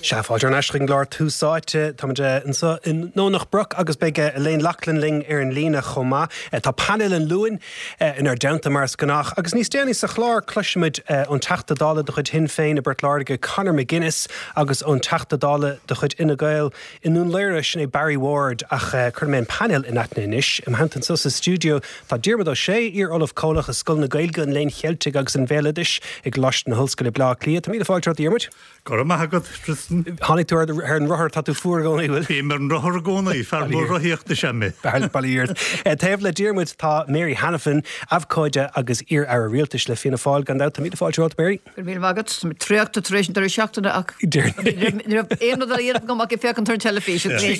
Sea, fáilte thar n-ais chuig an gclár Tús Áite. Táimid anseo i nDomhnach Broc agus beidh Elaine Loughlin linn ar an líne chomh maith. Tá painéal an Luain inár dteannta mar is gnách agus níos déanaí sa chlár cloisfimid ón Teachta Dála de chuid Shinn Féin i bPort Láirge, Conor McGuinness agus ón Teachta Dála de chuid Fhine Gael i nDún Laoghaire, sin é Barry Ward. Ach cuirfidh mé an painéal in aithne anois. I mo theannta anseo sa stiúideo tá Diarmuid Ó Sé, iar-Ollamh Comhlach i Scoil na Gaeilge, an Léinn Cheiltigh agus an Bhéaloidis i gColáiste na hOllscoile, Baile Átha Cliath. Tá míle fáilte romhat, a Dhiarmuid. Go raibh maith agat, Tristan. Tháinig tú ar an rothar, tá tú fuar i gcónaí, bhfuil? Bím ar an rothar i gcónaí, fear mór rothaíochta is ea mé. Bail ó Dhia ort. Taobh le Diarmuid tá Mary Hanafin, abhcóide agus iar-aire rialtais le Fianna Fáil, gan dabht. Tá míle fáilte romhat, Mary. Go raibh míle maith agat. Tá mé traochta tar éis an deireadh seachtaine ach ní raibh aon rud eile a dhéanamh agam ach ag féachaint ar an teilifís. Trí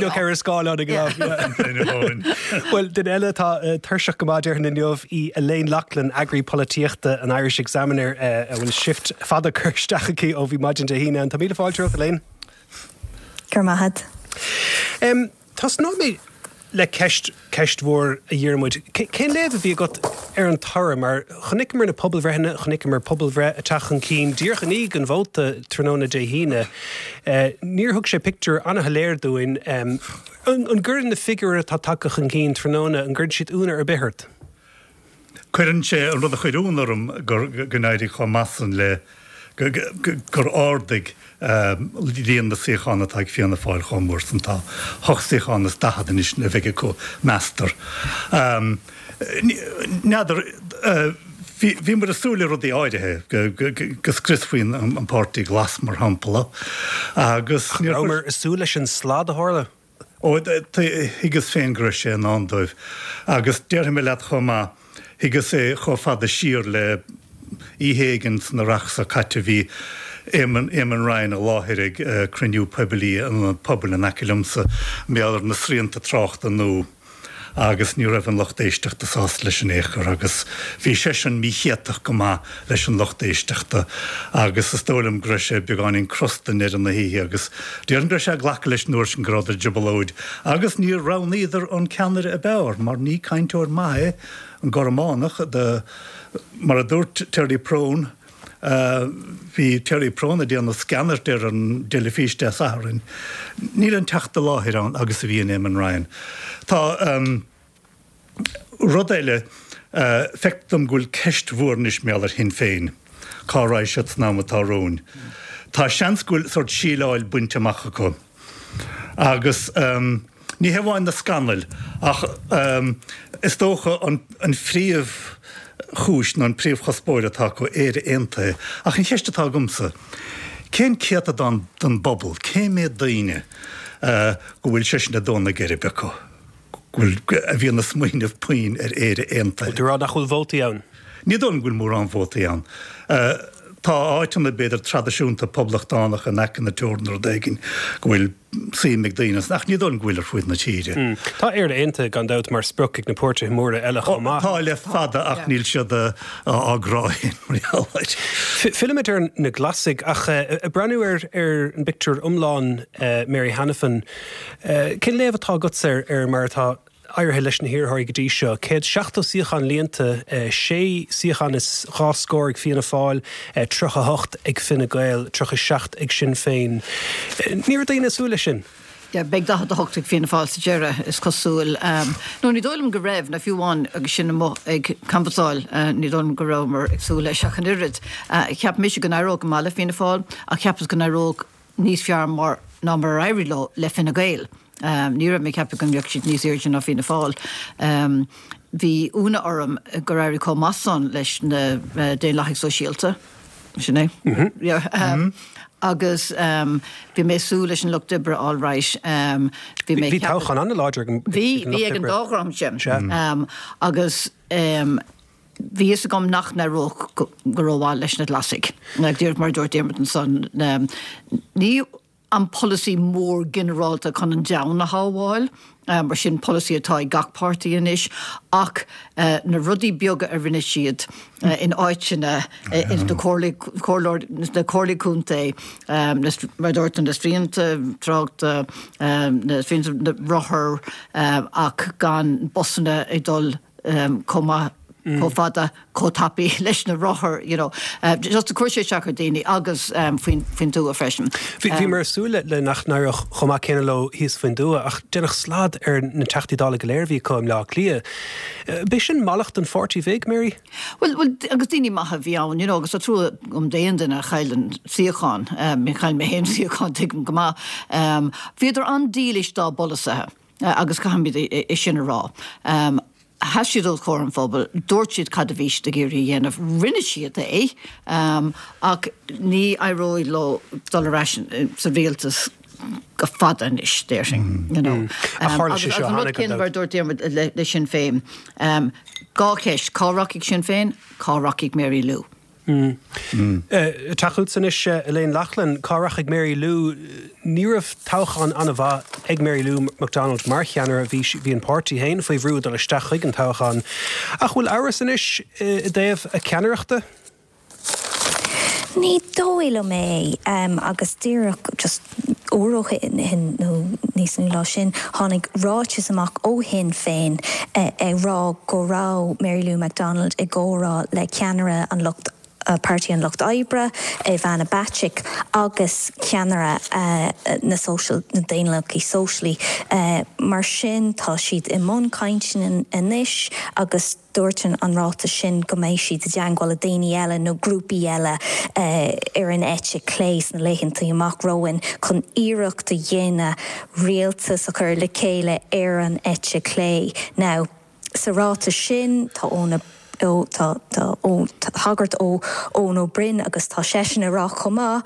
nó ceithre scáileán ag an am. Bhuel, duine eile atá tuirseach go maith déarfainn inniu í Elaine Loughlin, eagraí polaitíochta an Irish Examiner, a bhfuil shift fada curtha isteach aici ó bhí maidin Dé hAoine ann. Tá míle fáilte romhat, Elaine. Go raibh maith agat. Tosnóidh mé le ceist, ceist mhór, a Dhiarmuid. Cén léamh a bhí agat ar an toradh? Mar chonaiceamar na pobalbhreitheanna, chonaiceamar pobalbhreith ag teacht chun cinn díreach i ndiaidh an vóta tráthnóna Dé hAoine. Níor thug sé pictiúr an-shoiléir dúinn. An gcuireann na figiúirí atá tagtha chun cinn tráthnóna, an gcuireann siad ionadh ar bith ort? Cuireann sé, an rud a chuir ionadh orm gur, go n-éirigh chomh maith san le, gur ardaigh líon na suíochán atá ag Fianna Fáil chomh mór san. Tá hocht suíochán is daichead anois a bheidh acu, meastar. N'fheadar, bhí muid ag súil le rudaí áirithe, go scriosfaí an Páirtí Glas, mar shampla, agus níor chuir. Rabhamar ag súil leis an slad a tharla. Ó, thuigeas féin go raibh sé i ndán dóibh. Agus déarfaidh mé leat chomh maith, thuigeas é chomh fada siar le oíche éigin san earrach seo caite, bhí Eamon, Eamon Ryan i láthair ag cruinniú poiblí in ionad pobail in aice liomsa, mar gheall ar na srianta tráchta nua. agus ní raibh an lucht éisteachta sásta leis in aon chor agus bhí seisean míchéatach go maith leis an lucht éisteachta agus is dóigh liom go raibh sé beagáinín crosta i ndeireadh na hoíche agus déarfainn go raibh sé ag glacadh leis an uair sin go rabhadar i dtrioblóid agus níor roghnaíodar an ceannaire ab fhearr mar ní cainteoir maith é an Gormánach de mar a dúirt Terry Prone Bhí Terry Prone ag déanamh sceanairt ar an dteilifís Dé Sathairn. Níl an teacht i láthair ann agus a bhí in Eamon Ryan. Tá rud eile, feictear dom go bhfuil ceist mhór anois mar gheall ar Shinn Féin, cá raghaidh siad san am atá romhainn. Tá seans go bhfuil sórt síleáil bainte amach acu agus. Ní hé amháin na scannail, ach is dócha an phríomhchúis nó an príomhchuspóir atá acu, Éire Aontaithe. Ach an cheist atá agamsa, cén céatadán den bpobal, cé méad daoine go bhfuil sé sin ag dó na geirbe acu, go bhfuil, a bhíonn ag smaoineamh puinn ar Éire Aontaithe? Bhfuil tú ag rá nach bhfuil vótaí ann? Ní dóigh liom go bhfuil mórán vótaí ann. Tá áiteanna, b'fhéidir, traidisiúnta poblachtánach in aice na teorann nó rud éigin, go bhfuil suim ag daoine ann, ach ní dóigh liom go bhfuil ar fuaid na tíre. Tá Éire Aontaithe, gan dabht, mar sprioc ag na páirtithe móra eile chomh maith. Tá le fada ach níl siad á gcrá féin mar gheall air. Fillfimid ar na Glasaigh ach ag breathnú ar an bpictiúr iomlán, Mary Hanafin, cén léamh atá agatsa ar mar atá éirithe leis na hiarrthóirí go dtí seo. 170 suíochán líonta, sé suíochán is dhá scór ag Fianna Fáil, 38 ag Fine Gael, 37 ag Sinn Féin. Ní raibh daoine ag súil leis sin. Yeah, beidh 48 ag Fianna Fáil sa deireadh, is cosúil. No, ní dóigh liom go raibh, ná fiú amháin agus sinn amuigh ag canbhasáil, ní dóigh liom go rabhamar ag súil leis ach an oiread. Cheap mise go n-éireodh go maith le Fianna Fáil, ach cheapas go n-éireodh níos fearr mar ná mar a éirigh leo le Fine Gael. Ní raibh mé ag ceapadh go mbeadh siad níos airde ná Fianna Fáil. Bhí ionadh orm gur éirigh chomh maith san leis na Daonlathaigh Sóisialta. Sin é. Agus bhí mé ag súil leis an Lucht Oibre alright. Bhí mé Bhí toghchán an-láidir ag an Lucht Oibre. Bhí, bhí ag an dá dhream sin. Agus. Bhí fhios agam nach n-éireodh go rómhaith leis na Glasaigh. Díreach mar a dúirt Diarmuid ansan, ní an polasaí mór ginearálta chun an domhan a shábháil, mar sin polasaí atá ag gach páirtí anois, ach na rudaí beaga a rinne siad in áiteanna, ins na comhairlí contae, mar a dúirt tú, na srianta tráchta, na srianta rothar, ach gan busanna ag dul chomh maith. Chomh fada, chomh tapaidh leis na rothair, you know. Just chuir sé isteach ar daoine agus faoin tuath freisin. Bhíomar ag súil le nach n-éireodh chomh maith céanna leo thíos faoin dtuath ach deineadh slad ar na Teachtaí Dála go léir a bhí acu i mBleá Cliath. B'é sin mallacht an pháirtí bhig, Mary? Bhuel, bhuel, agus daoine maithe a bhí ann, you know, agus tá trua agam d'aon duine a chailleann suíochán. Chaill mé féin suíochán, tuigim go maith. Bhíodar an-dílis dá bpolasaithe agus caithfimid é sin a rá. Sheas siad os comhair an phobail, dúirt siad cad a bhí siad ag iarraidh a dhéanamh, rinne siad é, ach ní éireoidh leo dul ar ais sa rialtas go fada anois, déarfainn, you know. Ach tharla sé seo cheana, gan dabht. Agus an rud céanna mar a dúirt Diarmuid le Sinn Féin, 2 cheist, cá rachaidh Sinn Féin, cá rachaidh Mary Lou? Teacht chugatsa anois, Elaine Loughlin. Cá rachaidh Mary Lou? Ní raibh toghchán an-mhaith ag Mary Lou McDonald mar cheannaire. Bhí bhí an páirtí féin faoi bhrú dul isteach chuig an toghchán. Ach bhfuil amhras anois i dtaobh a ceannaireachta? Ní dóigh liom é. Agus díreach just uair ó shin nó níos mó ná sin, tháinig ráiteas amach ó Shinn Féin ag rá go raibh Mary Lou McDonald i gcomhrá le ceannaire an lucht Páirtí an Lucht Oibre, Ivana Bacik, agus ceannaire na Sóisial, na Daonlathaí Sóisialaí. Mar sin, tá siad i mbun cainteanna anois agus. Dúirt an ráiteas sin go mbeidh siad i dteangmháil le daoine eile nó grúpaí eile ar an eite clé sna laethanta amach romhainn chun iarracht a dhéanamh rialtas a chur le chéile ar an eite chlé. Now, sa ráiteas sin tá Eoin Ó, tá, tá, tá tagairt ó Eoin Ó Broin agus tá seisean ag rá chomh maith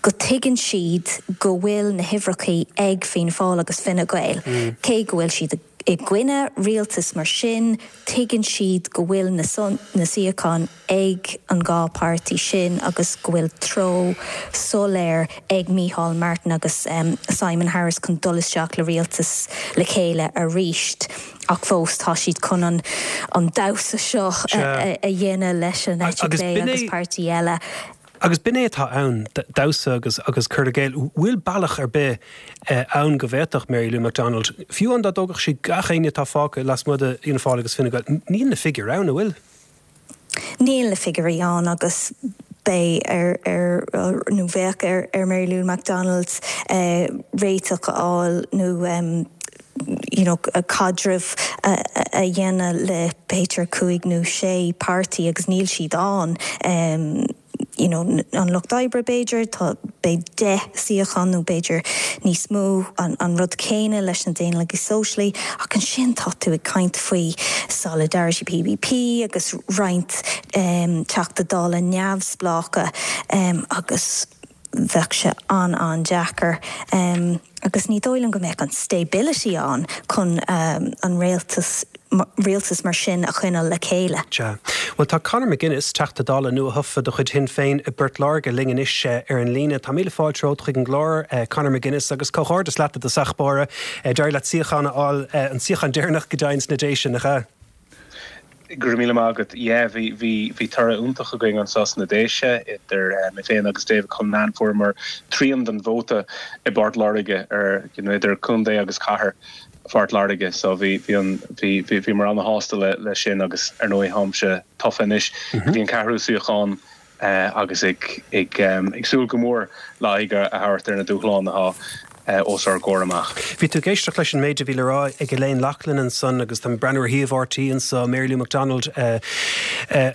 go tuigeann siad go bhfuil na huimhreachaí ag Fianna Fáil agus Fine Gael, cé go bhfuil siad ag. I gcoinne rialtas mar sin, tuigeann siad go bhfuil na suíocháin ag an dhá páirtí sin agus go bhfuil treo soiléir ag Micheál Martin agus Simon Harris chun dul isteach le rialtas le chéile arís. Ach fós, tá siad chun an damhsa seo a dhéanamh leis an eite chlé agus páirtí eile. Agus b'in é atá ann, damhsa agus agus cur i gcéill. Bhfuil bealach ar bith ann go bhféadfadh Mary Lou McDonald, fiú amháin dá dtógfadh sí gach éinne atá fágtha lasmuigh de Fhianna Fáil agus Fine Gael, níl na figiúirí ann, an bhfuil? Níl na figiúirí ann agus beidh ar, ar, nó bheadh ar, ar Mary Lou McDonald réiteach a fháil nó you know caidreamh a dhéanamh le b'fhéidir 5 nó 6 páirtí agus níl siad ann you know an Lucht Oibre b'fhéidir, tá beidh 10 suíochán nó b'fhéidir níos mó, an rud céanna leis na Daonlathaigh Sóisialaí ach ansin tá tú ag caint faoi Solidarity PBP agus roinnt Teachta Dála neamhspleácha agus bheadh sé an-an-deacair agus ní dóigh liom go mbeadh an stability ann chun an rialtas, rialtas mar sin a choinneáil le chéile. Sea. Bhuel, tá Conor McGuinness, Teachta Dála nua-thofa de chuid Shinn Féin i bPort Láirge linn anois ar an líne. Tá míle fáilte romhat chuig an gclár, Conor McGuinness, agus comhghairdeas leat i dtosach báire. D'éirigh leat suíochán a fháil, an suíochán deireanach go deimhin sna Déise, nach ea? Go raibh míle maith agat. Yeah, bhí, bhí, bhí toradh iontach againn anseo sna Déise, idir mé féin agus David Cullinane, fuaireamar trian den vóta i bPort Láirge ar, you know, idir contae agus cathair Phort Láirge. So bhí, bhí an, bhí, bhí, bhíomar ana-shásta le, le sin agus ar ndóigh táimse tofa anois go dtí an ceathrú suíochán agus ag súil go mór le aghaidh a thabhairt ar na dúshláin atá os ár gcomhair amach. Bhí tú ag éisteacht leis an méid a bhí le rá ag Elaine Loughlin ansan agus tá mé ag breathnú ar shuíomh RTÉ anso, Mary Lou McDonald i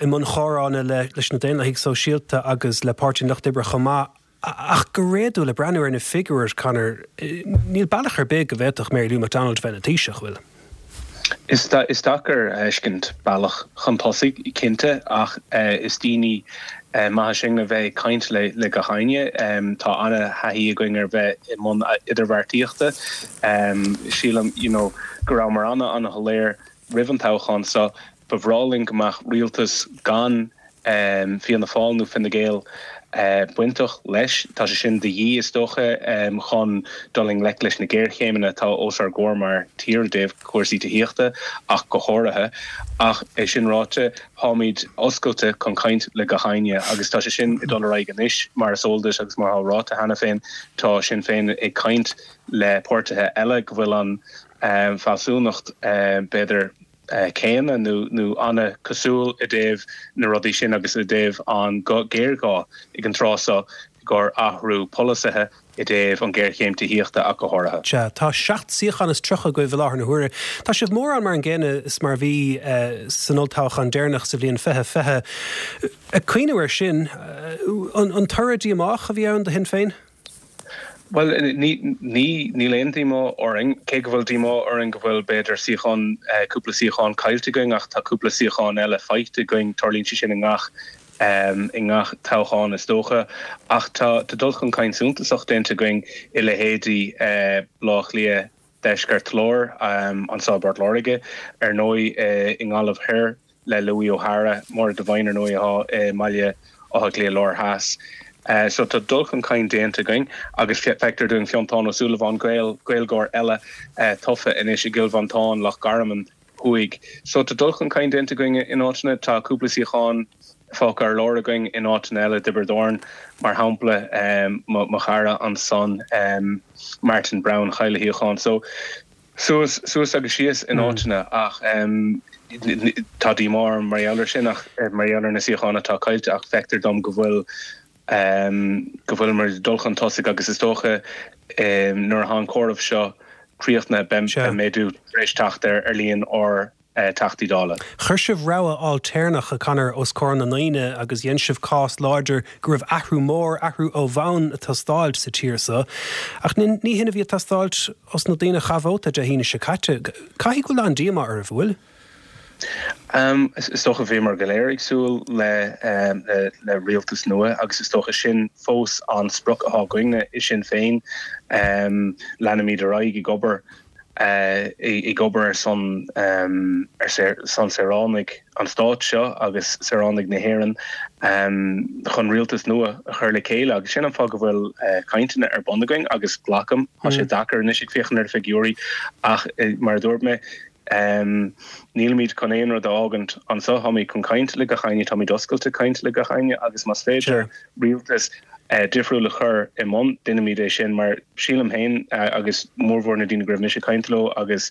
mbun chomhrá leis na Daonlathaigh Sóisialta agus le Páirtí an Lucht Oibre chomh maith. Ach go réadúil, ag breathnú ar na figiúirí, Conor, níl bealach ar bith go bhféadfadh Mary Lou McDonald bheith ina Taoiseach, bhfuil? Is deacair a fheiscint bealach chun tosaigh, cinnte, ach is daoine maithe sinn a bheith ag caint le gach éinne. Tá ana-thaithí againn ar bheith i mbun idirbheartaíochta. Sílim, you know, go rabhamar ana-ana-shoiléir roimh an toghchán seo. Ba bhreá linn go mbeadh rialtas gan Fianna Fáil nó Fine Gael bainteach leis. Tá sé sin de dhíth, is dócha, chun dul i ngleic leis na géarchéimeanna atá os ár gcomhair mar tír i dtaobh cúrsaí tithíochta ach go háirithe. Ach é sin ráite, táimid oscailte chun caint le gach éinne agus tá sé sin ag dul ar aghaidh anois. Mar is eol duit agus mar atá ráite cheana féin, tá Sinn Féin ag caint le páirtithe eile go bhfuil an fealsúnacht, b'fhéidir. céanna nó nó an-cosúil i dtaobh na rudaí sin agus i dtaobh an géarghá ag an tráth seo i gcomhair athrú polasaithe i dtaobh an ghéarchéim tithíochta ach go háirithe. Sea, tá 7 suíochán is 30 agaibh i láthair na huaire. Tá sibh mórán mar an gcéanna is mar a bhí san olltoghchán deireanach sa bhliain 2020. Ag cuimhniú air sin, an toradh díomách a bhí ann do Shinn Féin? Bhuel, ní, ní, níl aon díomá orainn, cé go bhfuil díomá orainn go bhfuil, b'fhéidir, suíochán, cúpla suíochán caillte againn ach tá cúpla suíochán eile faighte againn, tarlaíonn sé sin i ngach, i ngach toghchán is dócha. Ach tá, tá dul chun cinn suntasach déanta againn i leithéidí Baile Átha Cliath, Deisceart Láir, anseo i bPort Láirge, ar ndóigh, i nGaillimh Thoir le Louis O'Hara, Máire Devine, ar ndóigh, atá i mBaile Átha Cliath Láir Theas. So tá dul chun cinn déanta againn agus feictear dúinn Fionntán Ó Súilleabháin, Gael, Gaeilgeoir eile, tofa anois i gCill Mhantáin, Loch Garman Thuaidh. So tá dul chun cinn déanta againn in áiteanna, tá cúpla suíochán fágtha ar lár againn in áiteanna eile, Tiobraid Árann mar shampla, mo chara ansan Martin Browne chaill a shuíochán. So suas, suas agus síos in áiteanna ach tá díomá orm mar gheall ar sin ach mar gheall ar na suíocháin atá caillte ach feictear dom go bhfuil go bhfuilimid ag dul chun tosaigh agus is dócha nuair atá an comhaireamh seo críochnaithe beidh méadú tar éis teacht ar líon ár dTeachtaí Dála. Chuir sibh rogha ailtéarnach, a Conor, os comhair na ndaoine agus dhein sibh cás láidir go raibh athrú mór, athrú ó bhonn ag teastáilt sa tír so. Ach ní hin a bhí ag teastáilt os na daoine a chaith vóta Dé hAoine seo caite. Caithfidh go bhfuil an-díomá oraibh, an bhfuil? Is dócha bhíomar go léir ag súil le le rialtas nua agus is dócha sin fós an sprioc atá againne i Sinn Féin. Leanfaimid ar aghaidh ag obair ag obair ar son ar son saoránaigh an stáit seo agus saoránaigh na hÉireann chun rialtas nua a chur le chéile agus sin an fáth go bhfuil cainteanna ar bun againn agus glacaim, tá sé deacair anois ag féachaint ar na figiúirí ach mar a dúirt mé, Nílimid chun aon rud a fhágaint anseo. Táimid chun caint le gach éinne, táimid oscailte caint le gach éinne agus más féidir rialtas difriúil a chur i mbun, déanfaimid é sin mar sílim féin agus mórmhór na daoine go raibh mise ag caint leo agus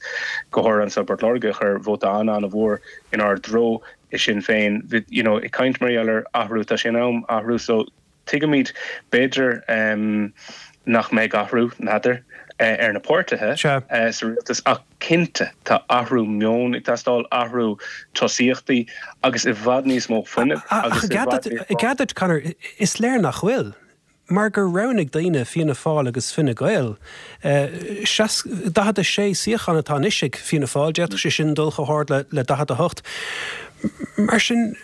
go háirithe anseo i bPort Láirge a chuir vóta an-an-mhór inár dtreo i Sinn Féin, you know ag caint mar gheall ar athrú, tá sé in am athrú so Tuigimid, b'fhéidir, nach mbeidh athrú, n'fheadar, ar na páirtithe sa rialtas ach cinnte tá athrú meoin ag teastáil, athrú tosaíochtaí agus i bhfad níos mó fuinnimh agus i bhfad níos mó. Ach i gcead duit, Conor, is léir nach bhfuil, mar gur roghnaigh daoine Fianna Fáil agus Fine Gael. 46 suíochán atá anois ag Fianna Fáil, d'fhéadfadh sé sin dul chomh hard le 48. Mar sin,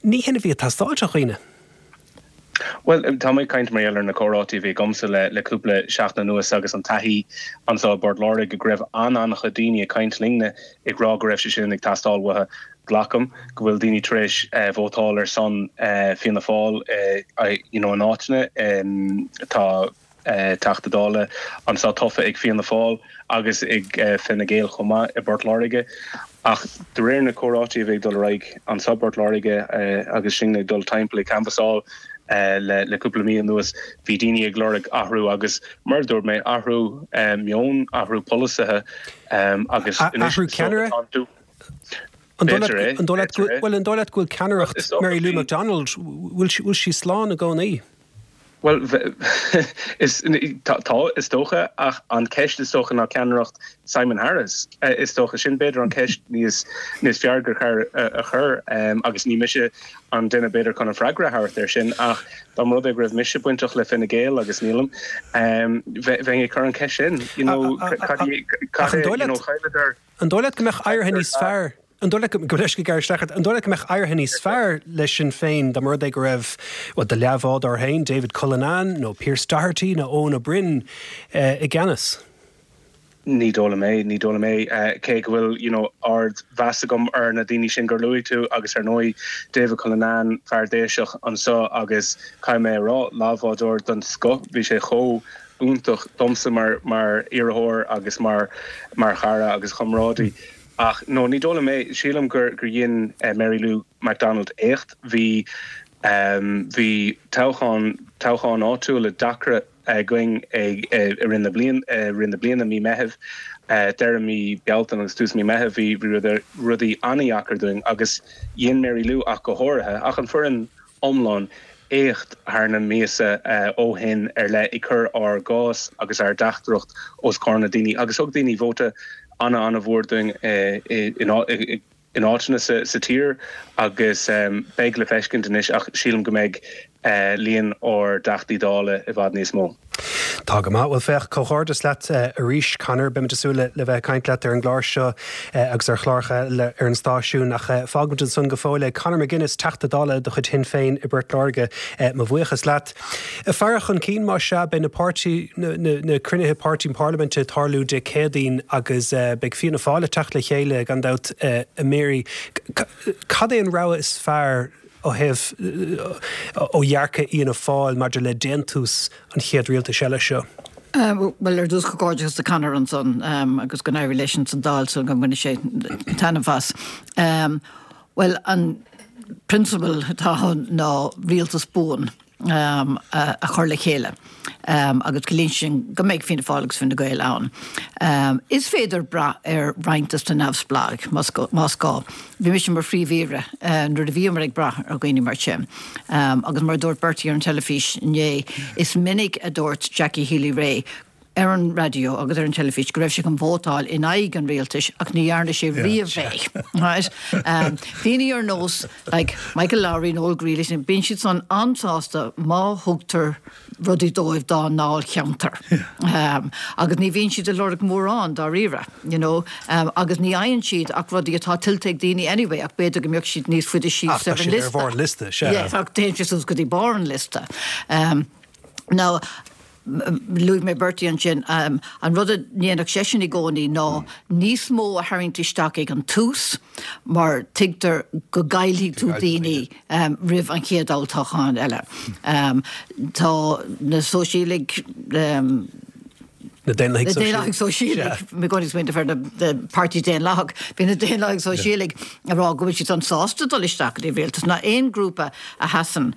ní hin a bhí ag teastáilt ó dhaoine. Bhuel, tá mé ag caint mar gheall ar na comhráití a bhí agamsa le le cúpla seachtain anuas agus an taithí anseo i bPort Láirge go raibh an-an-chuid daoine ag caint linne ag rá go raibh sé sin ag teastáil uathu. Glacaim go bhfuil daoine tar éis vótáil ar son Fianna Fáil you know in áiteanna. Tá. Teachta Dála anseo tofa ag Fianna Fáil agus ag Fine Gael chomh maith i bPort Láirge. Ach de réir na comhráití a bhí ag dul ar aghaidh anseo i bPort Láirge agus sinne ag dul timpeall ag canbhasáil le cúpla mí anuas, bhí daoine ag lorg athrú agus mar a dúirt mé, athrú meoin, athrú polasaithe agus anois Athrú ceannaire? An dóigh leat, an dóigh leat, bhuel, an dóigh leat go bhfuil ceannaireacht Mary Lou McDonald, bhfuil sí slán i gcónaí? Bhuel, is, tá, is dócha, ach an ceist is dócha ná ceannaireacht Simon Harris, is dócha. Sin b'fhéidir an ceist níos, níos fearr gur cheart a chur, agus ní mise an duine b'fhéidir chun an freagra a thabhairt air sin, ach dá mba rud é go raibh mise bainteach le Fine Gael, agus nílim, bheinn ag cur an ceist sin, you know, cad é, cad é, you know, chailleadar. An dóigh leat go mbeadh éirithe níos fearr, an dóigh leat go, gabh mo leithscéal gearradh isteach ort, an dóigh leat go mbeadh éirithe níos fearr le Sinn Féin dá mba rud é go raibh, bhuel, do leathbhádóir féin, David Cullinane nó Pearse Doherty nó Eoin Ó Broin i gceannas? Ní dóigh liom é, ní dóigh liom é. Cé go bhfuil, you know, ard mheas agam ar na daoine sin gur luaigh tú agus ar ndóigh David Cullinane, fear Déiseach anseo agus caithfidh mé a rá, leathbhádóir den scoth, bhí sé chomh iontach domsa mar mar iarrthóir agus mar mar chara agus chomrádaí. Ach no, ní dóigh liom é. Sílim gur gur dhein Mary Lou McDonald éacht. Bhí bhí toghchán toghcháin áitiúla deacra againn ag i rith na bliain i rith na bliana, mí Meithimh. Deireadh mí Bealtaine agus tús mí Meitheamh bhí rudaí an-dheacair dúinn agus dhein Mary Lou ach go háirithe, ach an foireann iomlán, éacht thar na míosa ó shin ar leith ag cur ár gcás agus ár dteachtaireacht os comhair na daoine agus thug daoine vóta ana-ana-mhór dúinn i in áiteanna sa tír agus beidh le feiscint anois ach sílim go mbeidh líon ár dTeachtaí Dála i bhfad níos mó. Tá go maith. Bhuel féach, comhghairdeas leat arís Conor. Beimid ag súil le bheith ag caint leat ar an gclár seo agus ar chláracha eile ar an stáisiún ach fágfaimid ansan go fóill é. Conor McGuinness, Teachta Dála de chuid Shinn Féin i bPort Láirge, mo bhuíochas leat. Faire chun cinn, más ea, beidh na páirtí, na cruinnithe páirtí parlaiminte ag tarlú Dé Céadaoin agus beidh Fianna Fáil ag teacht le chéile gan dabht, a Mary. Cad é an rogha is fearr ó thaobh, ó dhearcadh Fhianna Fáil maidir le déantús an chéad rialtais eile seo? Bhuel, ar dtús comhghairdeachas do Conor ansan agus go n-éirí leis ins an Dáil so go mbaine sé taitneamh as. Bhuel, an prionsabal atá ann ná rialtas buan a chur le chéile agus ciallaíonn sin go mbeidh Fianna Fáil agus Fine Gael ann. Is féidir brath ar roinnt de na neamhspleáigh más gá. Bhí mise mar Phríomh-Aoire nuair a bhíomar ag brath ar dhaoine mar sin. Agus mar a dúirt Bertie ar an teilifís inné, is minic a dúirt Jackie Healy-Rae ar an raidió agus ar an teilifís go raibh sé chun vótáil in aghaidh an rialtais ach ní dhearna sé riamh é. Right? Daoine ar nós like Michael Lowry, Noel Grealish, bíonn siad san an-sásta má thugtar rudaí dóibh dá ndáilcheantar. Agus ní bhíonn siad ag lorg mórán dáiríre, you know, agus ní fhaigheann siad ach rudaí atá tuillte ag daoine anyway ach b'fhéidir go mbeadh siad níos faide síos ar an liosta. Ach tá siad ar bharr an liosta, sea. Yeah, ach téann siad suas go dtí barr an liosta. Now, Luaigh mé Bertie ansin. An rud a ndéanfadh seisean i gcónaí ná níos mó a tharraingt isteach ag an tús mar tuigtear go gcaillfidh tú daoine roimh an chéad olltoghchán eile. Tá na Sóisialaigh, Na Daonlathaigh Sóisialaigh. Sóisialaigh, mé i gcónaí ag smaoineamh ar na Páirtí Daonlathach. Bhí na Daonlathaigh Sóisialaigh ag rá go bhfuil siad san sásta dul isteach go dtí an rialtas. Ná aon grúpa a sheasann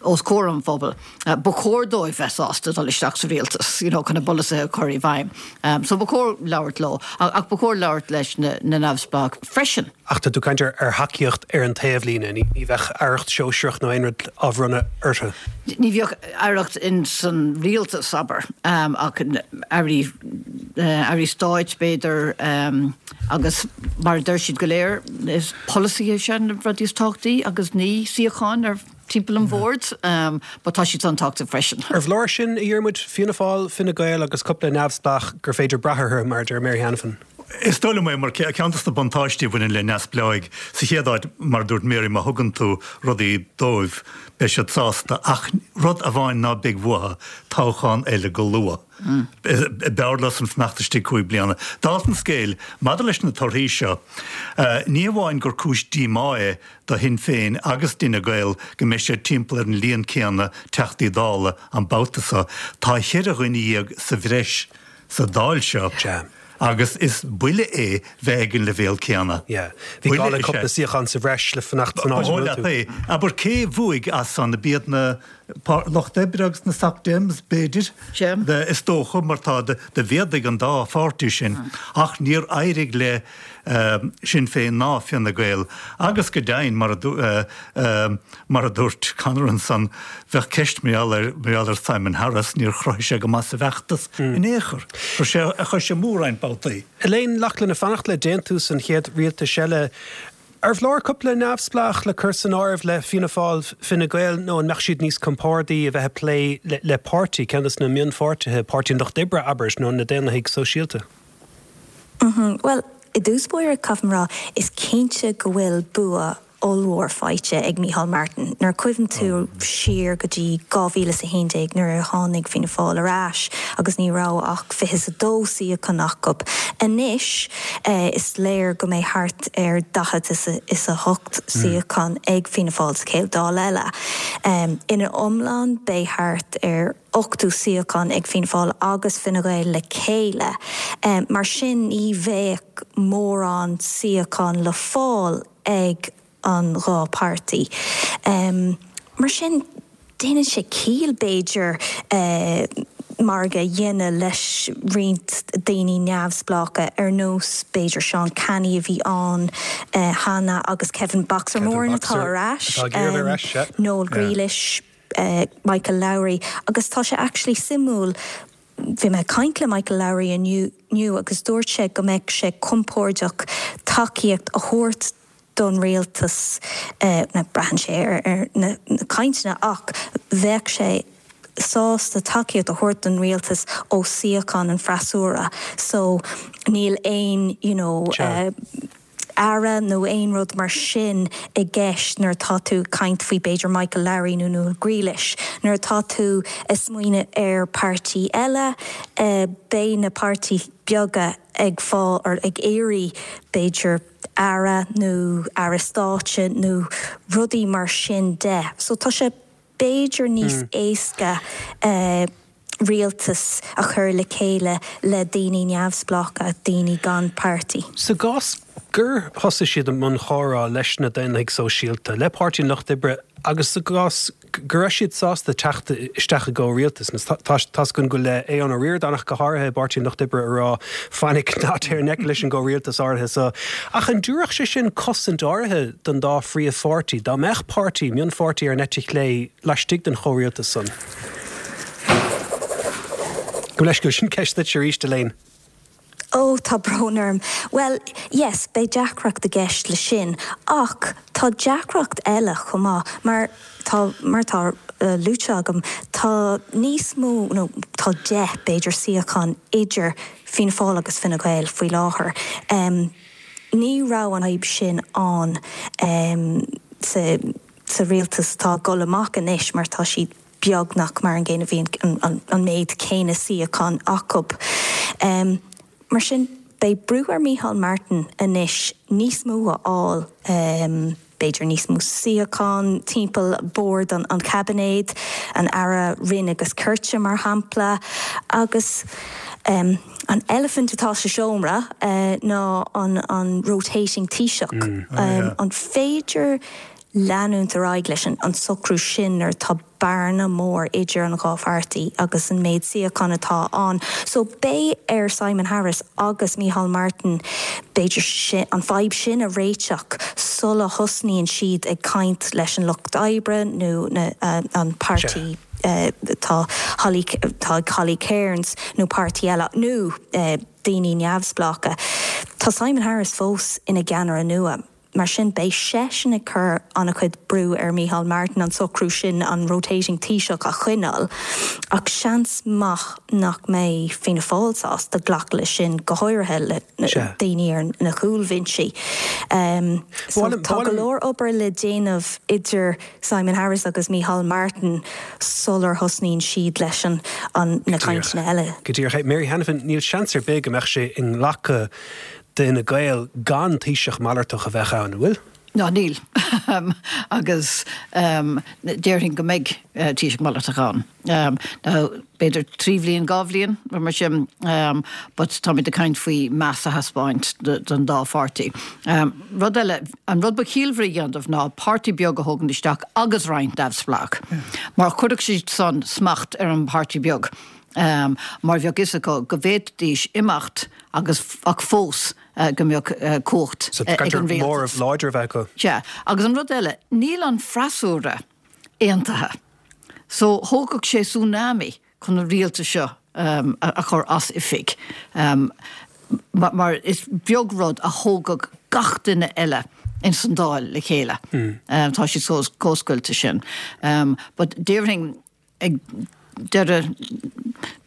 os comhair an phobail. Ba chóir dóibh bheith sásta dul isteach sa rialtas, you know, chun a bpolasaithe a chur i bhfeidhm. So ba chóir labhairt leo, ach ba chóir labhairt leis na neamhspleáigh freisin. Ach tá tú ag caint ar thacaíocht ar an taobhlíne, ní bheadh aireacht shóisearach nó aon rud á bhronnadh orthu. Ní bheadh aireacht in san rialtas, abair, ach airí, airí stáit b'fhéidir, agus mar a deir siad go léir, is polasaithe is ea na rudaí is tábhachtaí agus ní suíocháin ar timpeall an bhoird, but tá siad an-tábhachtach freisin. Arbh leor sin, a Dhiarmuid, Fianna Fáil, Fine Gael agus cúpla neamhspleách gur féidir brath orthu, mar a deir Mary Hanafin? Is dóigh liom é, mar ceann de na buntáistí a bhaineann le neamhspleáigh, sa chéad áit, mar a dúirt Mary, má thugann tú rudaí dóibh, beidh siad sásta, ach rud amháin ná beidh uathu, toghchán eile go luath. B'fhearr leosan fanacht istigh 5 bliana. Dála an scéil, maidir leis na torthaí seo, ní hamháin gur cúis díomá é do Shinn Féin agus d'Fhine Gael go mbeidh siad timpeall ar an líon céanna Teachtaí Dála an babhta seo, tá cheithre dhuine dhéag sa bhreis sa Dáil seo agus is buille é bheith ag an leibhéal céanna. Bhí gá le cúpla suíochán sa bhreis le fanacht san áit a bhfuil tú. Abair, cé bhuaigh as san? Ab iad na Lucht Oibre agus na Soc Dems, b'fhéidir? Is dócha, mar tá, do mhéadaigh an dá pháirtí sin ach níor éirigh le Sinn Féin ná Fine Gael agus go deimhin, mar a dúirt Conor ansan, bheadh ceist mar gheall ar, mar gheall ar Simon Harris, níor chruthaigh sé go maith sa bhfeachtas in aon chor. Chuir sé a chois amú roinnt babhtaí. Elaine Loughlin, ag fanacht le déantús an chéad rialtais eile, arbh leor cúpla neamhspleách le cur san áireamh le Fianna Fáil, Fine Gael nó an mbeadh siad níos compordaí a bheith ag plé le páirtí, ceann de na mionpháirtithe, Páirtí an Lucht Oibre, abair, nó na Daonlathaigh Sóisialta? Bhuel, i dtús báire, caithfidh mé a rá, is cinnte go bhfuil bua ollmhór faighte ag Micheál Martin. Nuair a chuimhníonn tú siar go dtí 2011 nuair a tháinig Fianna Fáil ar ais agus ní raibh ach 22 suíochán acu, anois is léir go mbeidh thart ar 48 suíochán ag Fianna Fáil sa chéad Dáil eile. Ina iomlán beidh thart ar. 80 suíochán ag Fianna Fáil agus Fine Gael le chéile. Mar sin ní bheadh mórán suíochán le fáil ag an dhá páirtí. Mar sin déanann sé ciall, b'fhéidir. margadh a dhéanamh leis roinnt daoine neamhspleácha ar nós b'fhéidir Seán Canney a bhí ann cheana agus Kevin Boxer Moran atá ar ais, Noel Grealish, Michael Lowry agus tá sé actually suimiúil, bhí mé ag caint le Michael Lowry inniu agus dúirt sé go mbeadh sé compordach tacaíocht a thabhairt don rialtas, braitheann sé ar na cainteanna ach bheadh sé sásta tacaíocht a thabhairt don rialtas ó suíochán an freasúra so níl aon you know aire nó aon rud mar sin i gceist nuair atá tú ag caint faoi b'fhéidir Michael Lowry nó Noel Grealish. Nuair atá tú ag smaoineamh ar páirtí eile beidh na páirtithe beaga ag fáil or ag iarraidh b'fhéidir aire nó aire stáit nó rudaí mar sin de. So tá sé b'fhéidir níos éasca rialtas a chur le chéile le daoine neamhspleácha, daoine gan páirtí. Sa gcás gur thosaigh siad i mbun chomhrá leis na Daonlathaigh Sóisialta, le Páirtí an Lucht Oibre agus sa gcás go raibh siad sásta teacht isteach i gcomhrialtas. Tá's againn go bhfuil Aodhán Ó Ríordáin ach go háirithe i bPáirtí an Lucht Oibre ag rá fainic ná téir i ngleic leis an gcomhrialtas áirithe so. Ach an dtabharfadh sé sin cosaint áirithe don dá phríomhpháirtí dá mbeadh páirtí, mionpháirtí ar an eite chlé laistigh den chomhrialtas san? Gabh mo leithscéal, sin ceist duit arís, Elaine. Ó, tá brón orm. Bhuel, yes, beidh deacracht i gceist le sin. Ach tá deacracht eile chomh maith, mar tá, mar atá luaite agam, tá níos mó, nó tá 10, b'fhéidir, suíochán idir Fianna Fáil agus Fine Gael faoi láthair. Ní raibh an fhadhb sin ann sa, sa rialtas atá ag dul amach anois mar tá siad, beagnach mar an gcéanna, bhí an méid céanna suíochán acu. Mar sin, beidh brú ar Micheál Martin anois níos mó a fháil, b'fhéidir níos mó suíochán timpeall bord an chaibinéid, an Aire Righin agus Cirt, mar shampla. Agus an eilifint atá sa seomra ná an rotating Taoiseach. An féidir leanúint ar aghaidh leis an socrú sin nuair atá bearna mór idir an dhá pháirtí agus an méid suíochán atá ann. So beidh ar Simon Harris agus Micheál Martin b'fhéidir an fadhb sin a réiteach sula thosnaíonn siad ag caint leis an Lucht Oibre nó an páirtí atá Holly atá ag Holly Cairns nó páirtí eile nó daoine neamhspleácha. Tá Simon Harris fós ina gceannaire nua. Mar sin, beidh seisean ag cur an-chuid brú ar Micheál Martin an socrú sin, an rotating Taoiseach, a choinneáil. Ach seans maith nach mbeidh Fianna Fáil sásta glacadh leis sin, go háirithe le daoine ar na cúlbhinsí. So tá go leor obair le déanamh idir Simon Harris agus Micheál Martin sular thosnaíonn siad leis na cainteanna eile. Go díreach. Mary Hanafin, níl seans ar bith go mbeadh sé inghlactha d'Fhine Gael gan Taoiseach malartach a bheith ann, an bhfuil? Ná níl. Agus déarfainn go mbeidh Taoiseach malartach ann. Now, b'fhéidir 3 bhliain, 2 bhliain, rud mar sin, but táimid ag caint faoi meas a thaispeáint don dá pháirtí. Rud eile, an rud ba chiallmhaire a dhéanamh ná páirtí beag a thógaint isteach agus roinnt neamhspleách, mar chuirfeadh siad san smacht ar an bpáirtí beag. mar bheadh fhios acu go bhféadfaidís imeacht agus ach fós go mbeadh cumhacht ag an rialtas. móramh láidir a bheith acu. Sea. Agus an rud eile, níl an freasúra aontaithe. So thógfadh sé tsunami chun an rialtas seo a chur as oifig. Mar is beag rud a thógfadh gach duine eile ins an Dáil le chéile. Tá siad chomh scoilte sin. But déarfainn ag deireadh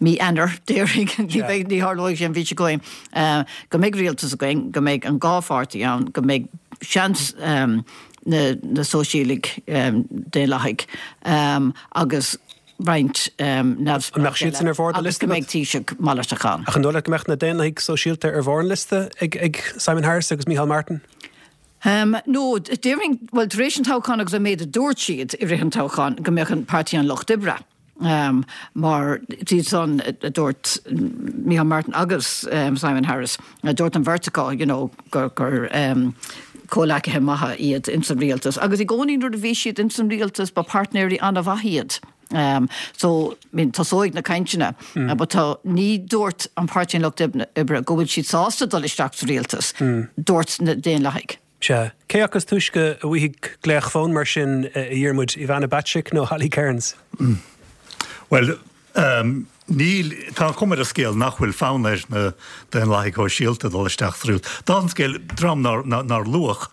mí Eanáir, déarfainn, ní bheidh, ní tharlóidh sé an mhí seo chugainn, go mbeidh rialtas againn, go mbeidh an dá pháirtí ann, go mbeidh seans na na Sóisialaigh, Daonlathaigh agus roinnt neamhspleách eile agus go mbeidh Taoiseach malartach ann. Ach an dóigh leat go mbeadh na Daonlathaigh Sóisialta ar bharr an liosta ag Simon Harris agus Micheál Martin? No, déarfainn, bhuel, tar éis an toghcháin agus an méid a dúirt siad i rith an toghcháin, go mbeadh an Páirtí an Lucht Oibre, mar iad san a dúirt Micheál Martin agus Simon Harris, dúirt an bheirt acu, you know, gur, gur comhleacaithe maithe iad ins an rialtas. Agus i gcónaí nuair a bhí siad ins an rialtas, ba páirtnéirí an-mhaith iad. So, I mean, tosóidh na cainteanna but tá, ní dúirt an Páirtí an Lucht Oibre go bhfuil siad sásta dul isteach sa rialtas, dúirt na Daonlathaigh. Sea. Cé acu is túisce a bhfaighidh glaoch fóin mar sin, a Dhiarmuid, Ivana Bacik nó Holly Cairns? Bhuel, níl, tá an chuma ar an scéal nach bhfuil fonn ar na Daonlathaigh Shóisialta dul isteach sa rialtas. Dála an scéil, dream nár luadh,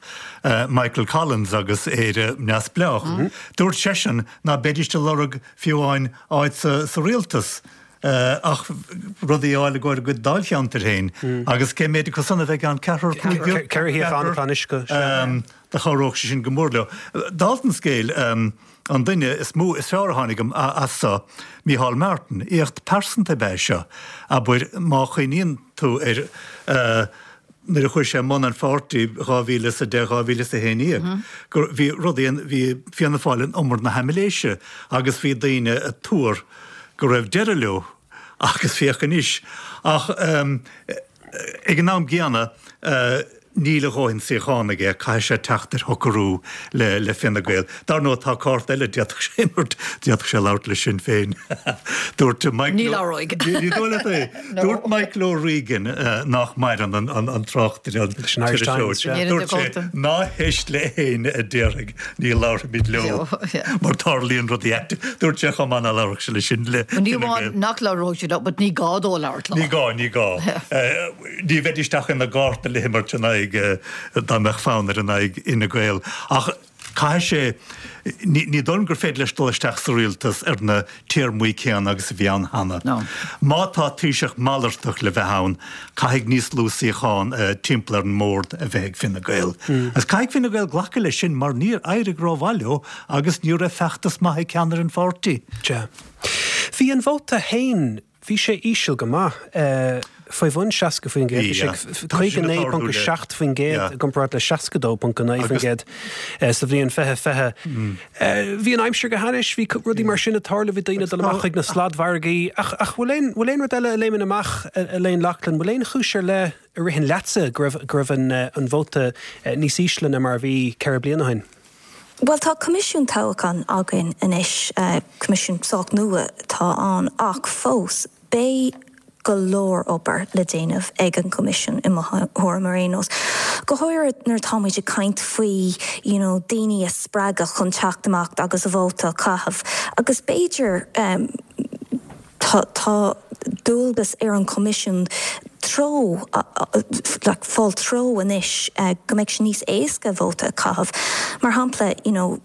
Michael Collins agus Éire Neamhspleách, dúirt seisean ná beidís ag lorg fiú amháin áit sa rialtas ach rudaí a fháil i gcomhair a gcuid dáilcheantair féin. Agus cé méid acu san a bheidh ann? Ceathrar, cúigear? Ceithre shuíochán atá anois acu, sea. Do chabhródh sé sin go mór leo. Dála an scéil, an duine is mó, is fearr a tháinig as so, Micheál Martin, éacht pearsanta ab ea é seo, abair, má chuimhníonn tú ar nuair a chuaigh sé i mbun an pháirtí 2010, 2011, gur bhí rudaí, bhí Fianna Fáil in umar na haimiléise agus bhí daoine ag tuar go raibh deireadh leo agus féach anois. Ach ag an am gcéanna, níl a dhóthain suíochán aige, caithfidh sé teacht ar shocrú le Fine Gael. Dar ndóigh, tá cárta eile a d'fhéadfadh sé imirt, d'fhéadfadh sé labhairt le Sinn Féin. Dúirt Michael. Ní labhróidh. Ní dóigh leat é? Dúirt Michael O'Regan, nach maireann, an tráchtaire, an t-iriseoir, dúirt sé, ná héist le héinne a déarfaidh ní labharfaimid leo mar tarlaíonn rudaí aite. Dúirt sé chomh maith ná labharfadh sé le sin le Ní Fine amháin Gael. nach labhróidh sé leo, but ní gá dó labhairt leo. Ní gá, ní gá. Ní bheidís ach ina gcárta le himirt in aghaidh, dá mbeadh fonn air in aghaidh Fhine Gael. Ach caithfidh sé, ní dóigh liom gur féidir leis dul isteach sa rialtas ar na téarmaí céanna agus a bhí ann cheana. Má tá Taoiseach malartach le bheith ann, caithfidh níos lú suíochán timpeall ar an mbord a bheith ag Fine Gael. Agus caithfidh Fine Gael glacadh leis sin mar níor éirigh rómhaith leo agus ní raibh feachtas maith ag ceannaire an pháirtí. Sea. Bhí an vóta féin Bhí sé íseal go maith, faoi bhun 60%, bhí sé 59.7% i gcomparáid le 62.9% sa bhliain 2020. Bhí an aimsir go hainnis, bhí rudaí mar sin ag tarlú, bhí daoine ag dul amach chuig na sladmhargaí. Ach bhfuil aon, bhfuil aon rud eile a léimeann amach, Elaine Loughlin, bhfuil aon chúis ar leith a ritheann leatsa go raibh, go raibh an vóta níos ísle ná mar a bhí 4 bliana ó shin? Bhuel, tá coimisiún toghcháin againn anois, coimisiún sách nua atá ann, ach fós, beidh go leor obair le déanamh ag an gcoimisiún, i mo thuairim ar aon nós. Go háirithe nuair atá muid ag caint faoi you know daoine a spreagadh chun teacht amach agus a vóta a chaitheamh. Agus b'fhéidir, Tá tá dualgas ar an Choimisiún treo like fáil treo anois go mbeidh sé níos éasca vóta a chaitheamh. Mar shampla, you know,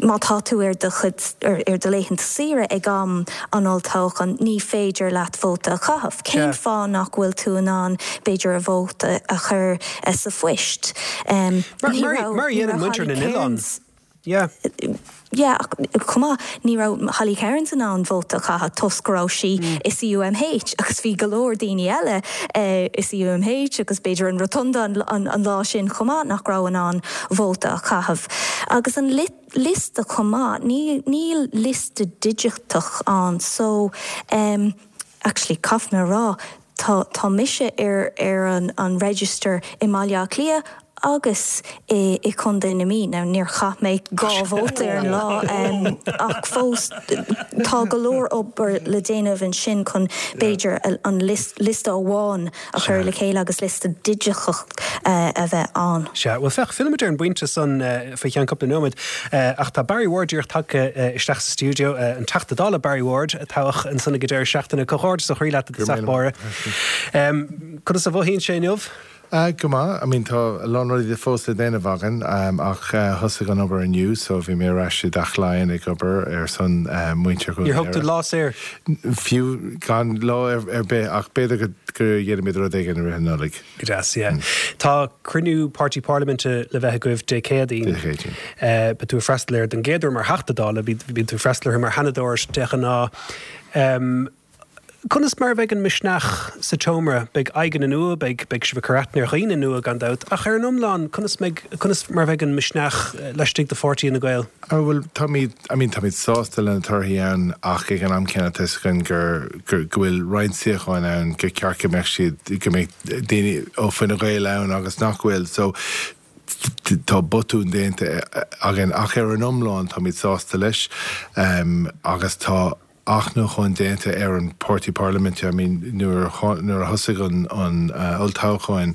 má tá tú ar do chuid ar do laethanta saoire ag am an olltoghcháin, ní féidir leat vóta a chaitheamh. Cén fáth nach bhfuil tú in ann b'fhéidir a vóta a chur sa phoist? Ní raibh Mar a dhéanann muintir na n-oileán. Yeah. Yeah, ach chomh maith, ní raibh Holly Cairns in ann vóta a chaitheamh toisc go raibh sí i CUMH agus bhí go leor daoine eile i CUMH agus b'fhéidir an Rotunda an lá sin chomh maith nach raibh in ann vóta a chaitheamh. Agus an liosta chomh maith, níl liosta digiteach ann so actually caithfidh mé a rá, Tá, tá mise ar, ar an, an register i mBaile Átha Cliath agus i, i Contae na Mí. Now níor chaith mé dhá vóta ar an lá ach fós tá go leor obair le déanamh ansin chun b'fhéidir an liosta, liosta amháin a chur le chéile agus liosta digiteach a bheith ann. Sea, bhuel féach, fillfimid ar an bpointe san faoi cheann cúpla nóiméad ach tá Barry Ward díreach tagtha isteach sa stiúideo, an Teachta Dála Barry Ward a toghadh ansan ag an deireadh seachtaine. Comhghairdeas ó chroí leat. I dtosach báire. Conas a mhothaíonn sé inniu? Go maith. I mean tá a lán rudaí fós le déanamh againn ach thosaigh an obair inniu so bhí mé ar ais i dTeach Laighean ag obair ar son muintir Dhún Níor thóg tú lá saor? Fiú gan lá ar bith ach b'fhéidir go ndéanfaimid rud éigin i rith an Nollaig. Go deas, yeah. Tá cruinniú Páirtí Parlaiminte le bheith agaibh Dé Céadaoin. Dé Céadaoin. Beidh tú ag freastal air don gcéad uair mar Theachta Dála, bíonn tú ag freastal orthu mar Sheanadóir de ghnáth. Conas mar a bheidh an misneach sa tseomra? Beidh aghaidheanna nua, beidh, beidh sibh ag cur aithne ar dhaoine nua gan dabht, ach ar an iomlán, conas mbeidh, conas mar a bheidh an misneach laistigh de pháirtí Fhine Gael? Oh bhuel, táimid, I mean, táimid sásta le na torthaí ann ach ag an am céanna tá 'fhios againn gur, gur, go bhfuil roinnt suíocháin ann gur ceart go mbeadh siad, go mbeadh daoine ó Fine Gael ann agus nach bhfuil. So. Tá botúin déanta againn ach ar an iomlán táimid sásta leis agus tá athnuachan déanta ar an páirtí parlaiminte. I mean nuair nuair a thosaigh an an olltoghchán,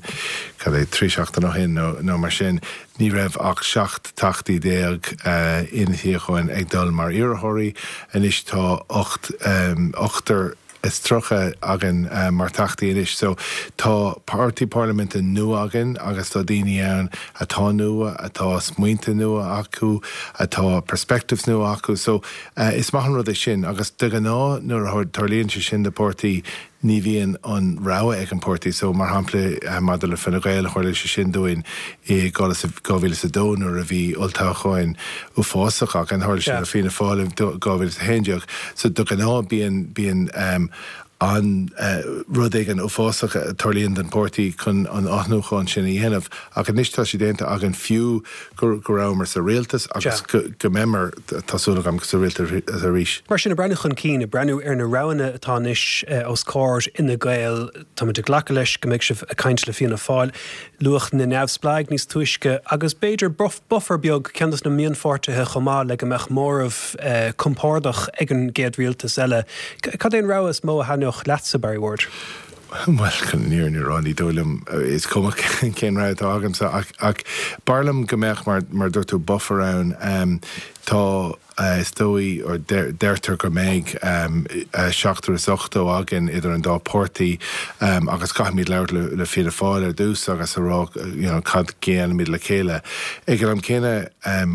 cad é, 3 seachtain ó shin nó nó mar sin, ní raibh ach 17 teachtaí insuíocháin ag dul mar iarrthóirí. Anois tá 8 ochtar is 30 againn mar Theachtaí anois. So tá páirtí parlaiminte nua againn agus tá daoine ann atá nua, atá smaointe nua acu, atá perspectives nua acu. So is maith an rud é sin agus de ghnáth nuair a tarlaíonn sé sin do pháirtí ní bhíonn an rogha ag an páirtí. So mar shampla maidir le Fine Gael tharla sé sin dúinn i 2002 nuair a bhí olltoghcháin uafásach againn, tharla sé le Fianna Fáil in 2011. So de ghnáth bíonn, bíonn an rud éigin uafásach a tarlaíonn don pháirtí chun an athnuachan sin a dhéanamh. Ach anois tá sé déanta againn fiú go go rabhamar sa rialtas agus go go mbeimid, tá súil agam, sa rialtas arís. Mar sin, ag breathnú chun cinn, ag breathnú ar na roghanna atá anois os comhair Fhine Gael, táimid ag glacadh leis go mbeidh sibh ag caint le Fianna Fáil. Luadh na neamhspleáigh níos túisce agus b'fhéidir buffer beag, ceann de na mionpháirtithe chomh maith le go mbeadh móramh compordach ag an gcéad rialtas eile. Cad é an rogha is mó a thaitneodh leatsa, Barry Ward? Bhuel, chun an fhírinne a rá, ní dóigh liom, is cuma cén rogha atá agamsa ach b'fhearr liom go mbeadh, mar a dúirt tú, buffer ann. Tá. Is dóigh, or deirtear go mbeidh seachtar is 80 againn idir an dá páirtí agus caithfimid labhairt le Fianna Fáil ar dtús agus a rá you know cad déanfaimid le chéile. Ag an am céanna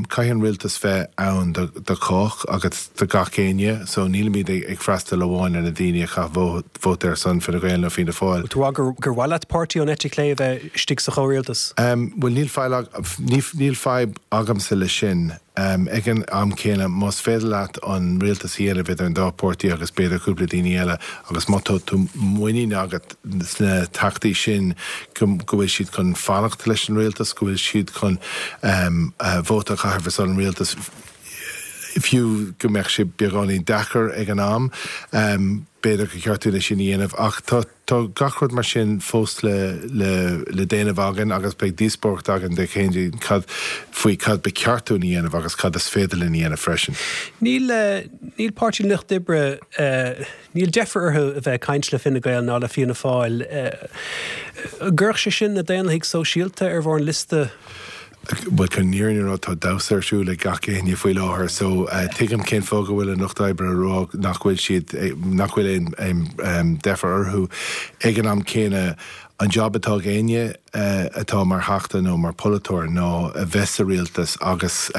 caithfidh an rialtas bheith ann do chách agus do gach éinne so nílimid ag freastal amháin ar na daoine a chaith vóta ar son Fine Gael nó Fianna Fáil. Bhfuil tú ag rá gur mhaith leat páirtí ón eite chlé a bheith istigh sa chomhrialtas? Bhuel níl níl fadhb agamsa leis sin. Ag an am céanna, más féidir leat an rialtas a dhéanamh idir an dá pháirtí agus b'fhéidir cúpla daoine eile agus má tá tú muinín agat sna teachtaí sin go bhfuil siad chun fanacht leis an rialtas, go bhfuil siad chun vóta a chaitheamh ar son an rialtais, fiú go mbeadh sé beagáinín deacair ag an am, b'fhéidir gur cheart dúinn é sin a dhéanamh. Ach tá. Tá gach rud mar sin fós le le déanamh againn agus beidh díospóireacht againn Dé Céadaoin cad faoi cad ba cheart dúinn a dhéanamh agus cad is féidir linn a dhéanamh freisin. Níl níl Páirtí an Lucht Oibre níl deifir orthu a bheith ag caint le Fine Gael ná le Fianna Fáil. An gcuirfeadh sé sin na Daonlathaigh Sóisialta ar bharr an liosta? Bhuel, chun an fhírinne a rá, tá damhsa ar siúl ag gach éinne faoi láthair so tuigim cén fáth go bhfuil an Lucht Oibre ag rá nach bhfuil siad, nach bhfuil aon deifir orthu. Ag an am céanna, an job atá ag éinne atá mar Theachta nó mar pholaiteoir ná a bheith sa rialtas agus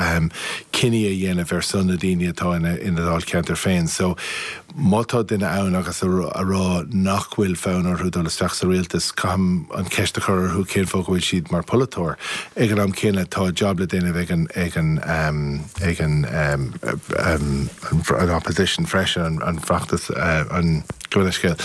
cinní a dhéanamh ar son na daoine atá ina ndáilcheantar féin. So má tá duine ann agus a rá nach bhfuil fonn orthu dul isteach sa rialtas, caithim an cheist a chur orthu cén fáth go bhfuil siad mar pholaiteoir. Ag an am céanna, tá job le déanamh ag an ag an ag an an opposition freisin, an feachtas, an gabh mo leithscéal,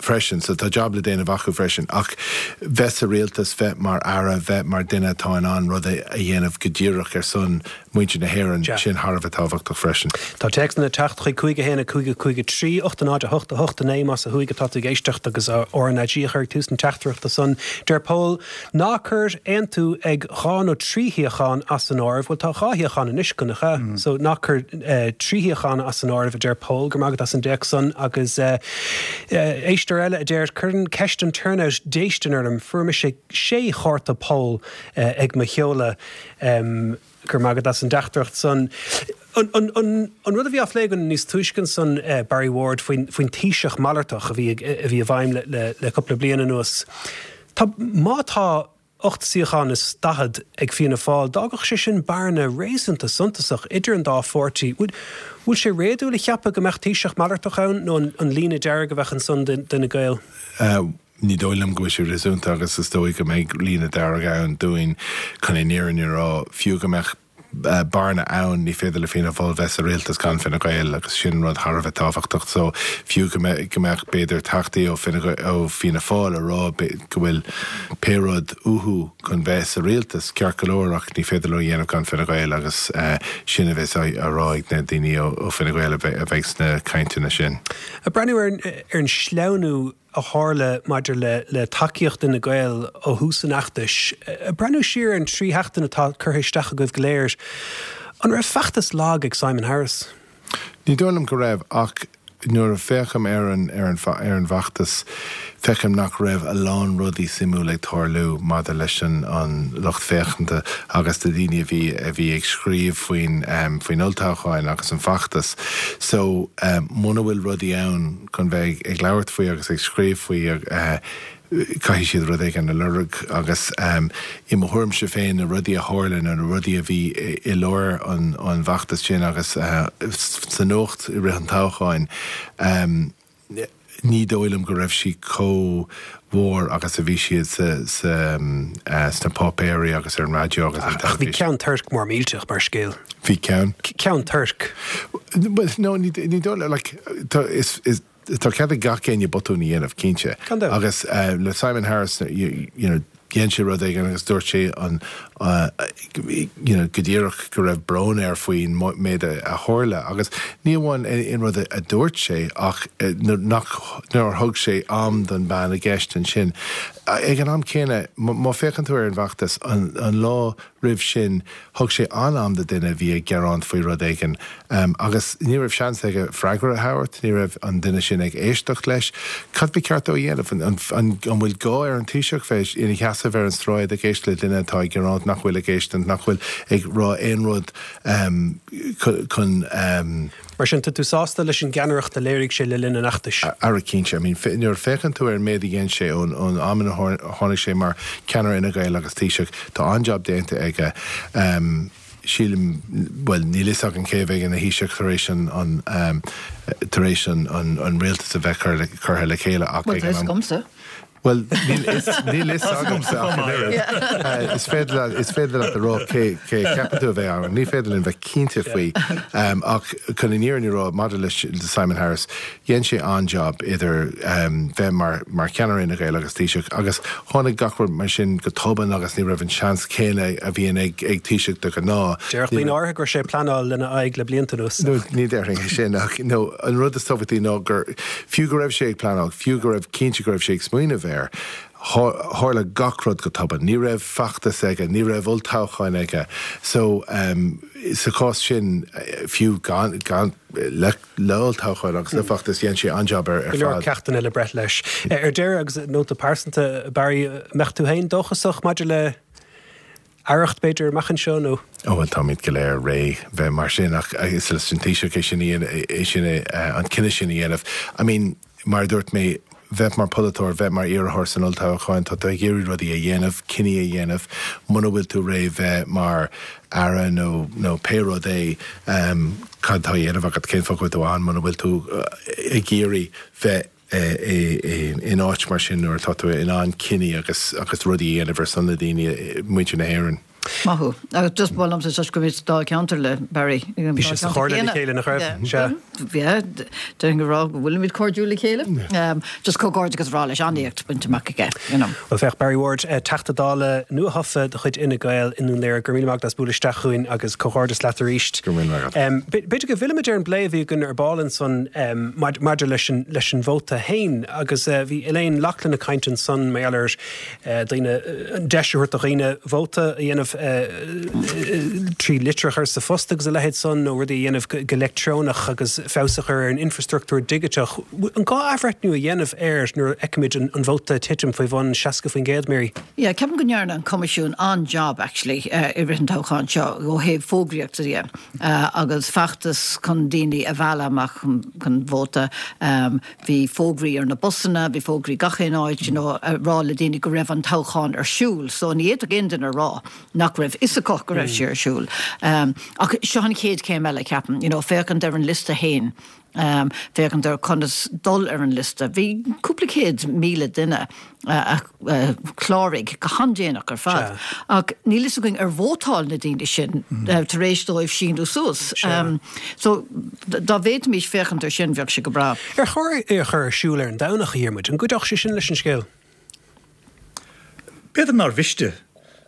freisin. So tá job le déanamh acu freisin. Ach bheith sa rialtas, bheith mar aire, bheith mar duine atá in ann rud a dhéanamh go díreach ar son muintir na hÉireann, sin thar a bheith tábhachtach freisin. Tá téacsanna ag teacht chuig 5 1 5 5 3 8 0 8 8 9 más ó thuaidh atá tú ag éisteacht agus RnaG a chur ag tús na teachtaireachta san. Deir Pól, Ná cuir Aontú ag dhá nó trí shuíochán as an áireamh. Bhuel tá dhá shuíochán anois acu, nach ea? So ná cuir trí shuíochán as an áireamh, a deir Pól. Go raibh maith agat as an dtéacs san. Agus éisteoir eile a deir, Cuireann ceist an turnout déistin orm. Fuair mise sé chárta poll ag mo sheoladh. Go raibh maith agat as an dteachtaireacht san. An rud a bhí á phlé againn níos túisce ansan, Barry Ward, faoin Taoiseach malartach a bhí a bhí i bhfeidhm le cúpla bliain anuas, tá, má tá 8 suíochán is 40 ag Fianna Fáil, d'fhágfadh sé sin bearna réasúnta suntasach idir an dá pháirtí. Bhfuil sé réadúil a cheapadh go mbeadh Taoiseach malartach ann nó an líne dearg a bheadh ansan d'Fhine Gael? Ní dóigh liom go bhfuil sé réasúnta agus is dóigh go mbeidh líne dearg ann dúinn chun an fhírinne a rá. Fiú go mbeadh bearna ann, ní féidir le Fianna Fáil bheith sa rialtas gan Fine Gael agus sin rud thar a bheith tábhachtach. So fiú go mbeadh b'fhéidir teachtaí ó ó Fianna Fáil a rá go bhfuil pé rud uathu chun bheith sa rialtas, ceart go leor ach ní féidir leo a dhéanamh gan Fine Gael agus sin a bheas á rá ag na daoine ó Fine Gael a bheidh sna cainteanna sin. Ag breathnú ar an sleamhnú. a tharla maidir le le tacaíocht Fhine Gael ó thús an fheachtais. Ag breathnú siar ar an trí sheachtain atá curtha isteach agaibh go léir, an raibh feachtas lag ag Simon Harris? Ní dóigh liom go raibh, ach nuair a féachaim ar an ar an ar an bhfeachtas, feicim nach raibh a lán rudaí suimiúil ag tarlú maidir leis an an lucht féachanta agus na daoine a bhí a bhí ag scríobh faoin faoin olltoghcháin agus an feachtas. So, muna bhfuil rudaí ann chun bheith ag labhairt faoi agus ag scríobh faoi, caithfidh siad rud éigin a lorg agus i mo thuairimse féin na rudaí a tharla nó na rudaí a bhí i lár an bhfeachtais sin agus sa nuacht i rith an toghcháin, ní dóigh liom go raibh siad chomh mhór agus a bhí siad sna páipéirí agus ar an raidió agus an teilifís. Ach bhí Ceann Toirc mór millteach mar scéal. Bhí ceann? Ceann Toirc. No, ní dóigh liom, like, is, is, Tá cead ag gach éinne botún a dhéanamh, cinnte. Gan dabht. Agus le Simon Harris, you know, dhein sé rud éigin agus dúirt sé an, you know, go díreach go raibh brón air faoin méid a tharla. Agus ní amháin an rud a dúirt sé ach nach, nár thug sé am don bhean i gceist ansin. Ag an am céanna, má féachann tú ar an bhfeachtas, an lá roimh sin, Thug sé an-am do duine a bhí ag gearán faoi rud éigin agus ní raibh seans aige freagra a thabhairt, ní raibh an duine sin ag éisteacht leis. Cad ba cheart dó a dhéanamh? An bhfuil gá ar an Taoiseach bheith ina sheasamh ar an sráid ag éisteacht le duine atá ag gearán nach bhfuil ag éisteacht, nach bhfuil ag rá aon rud chun. Mar sin, tá tú sásta leis an gceannaireacht a léirigh sé le linn an fheachtais? Ara cinnte. I mean, nuair a féachann tú ar an méid a dhein sé ón am ina tháinig sé mar ceannaire Fhine Gael agus Taoiseach, tá an-jab déanta aige. Sílim, bhuel, níl fhios againn cé a bheidh ina Thaoiseach tar éis an, tar éis an rialtas a bheith curtha le chéile ach ag an am. Bhuel, tá fhios agamsa. Bhuel, níl fhios agamsa ach an oiread. Is féidir leat, is féidir leat a rá cé, cé a cheapann tú a bheidh ann. Ní féidir linn bheith cinnte faoi. Ach chun an fhírinne a rá, maidir le Simon Harris, dhein sé an-jab idir bheith mar, mar cheannaire Fhine Gael agus Taoiseach agus tháinig gach rud mar sin go tobann agus ní raibh an seans céanna a bhíonn ag, ag Taoiseach de ghnáth. Déarfadh daoine áirithe go raibh sé ag pleanáil lena aghaidh le blianta anuas. No, ní déarfainn é sin ach, no, an rud is tábhachtaí ná gur, Fiú go raibh sé ag pleanáil, fiú go raibh cinnte go raibh sé ag smaoineamh air, tharla gach rud go tobann. Ní raibh feachtas aige, ní raibh olltoghchán aige. So, sa chás sin, fiú gan, gan, le, le olltoghchán agus le feachtas, dhein sé an-jab ar fad. Go leor ceachtanna le breith leis. Ar deireadh, agus nóta pearsanta, Barry, mbeadh tú féin dóchasach maidir le Aireacht, b'fhéidir, amach anseo, nó? Ó, bhuel, táimid go léir réidh bheith mar sin, ach is leis an Taoiseach é sin a dhéanamh, é sin a, an cinneadh sin a dhéanamh. I mean, mar a dúirt mé, bheith mar pholaiteoir, bheith mar iarrthóir san olltoghchán, tá tú ag iarraidh rudaí a dhéanamh, cinní a dhéanamh. Muna bhfuil tú réidh bheith mar Aire nó, nó pé rud é, cad tá á dhéanamh agat, cén fáth go bhfuil tú ann muna bhfuil tú ag iarraidh bheith in áit mar sin nuair atá tú in ann cinní agus agus rudaí a dhéanamh ar son na daoine, muintir na hÉireann. Maith thú. Agus just ba mhaith liomsa toisc go raibh sa Dáilcheantar le Barry. Bhí sé sa chomhairle le chéile, nach raibh? Sea. Yeah, déarfainn go raibh, go bhfuilimid cairdiúil le chéile. Just comhghairdeachas a rá leis, an-éacht bainte amach aige, you know. Bhuel, féach, Barry Ward, Teachta Dála nuathofa de chuid Fhine Gael i nDún Laoghaire, go raibh míle maith agat as bualadh isteach chugainn agus comhghairdeas leat arís. Go raibh míle maith agat. B'fhéidir go bhfillfimid ar an bplé a bhí againn ar ball ansan maidir leis an leis an vóta féin agus bhí Elaine Loughlin ag caint ansan mar gheall ar daoine, an deis a thabhairt do dhaoine vóta a dhéanamh trí litir a chur sa phost agus a leithéid san nó rudaí a dhéanamh go leictreonach agus feabhas a chur ar an infreastruchtúr digiteach. An gá athbhreithniú a dhéanamh air nuair a fheicimid an vóta ag titim faoi bhun 60%, Mary? Yeah, ceapaim go ndearna an Coimisiún an-job actually i rith an toghcháin seo ó thaobh fógraíochta de agus feachtas chun daoine a mhealladh amach chun vóta. Bhí fógraí ar na busanna, bhí fógraí gach aon áit, you know, a rá le daoine go raibh an toghchán ar siúl. So ní fhéadfadh aon duine a rá nach raibh fhios acu go raibh sé ar siúl. Ach seo an chéad chéim eile, ceapaim, you know, féachaint ar an liosta féin. Féachaint ar conas dul ar an liosta. Bhí cúpla 100,000 duine a chláraigh go han-déanach ar fad. Ach níl fhios againn ar vótáil na daoine sin tar éis dóibh síniú suas. So dá bhféadfaimis féachaint ar sin bheadh sé go breá. Ar chóir é a chur ar siúl ar an Domhnach, a Dhiarmuid? An gcuideodh sé sin leis an scéal? B'fhéidir nár mhiste.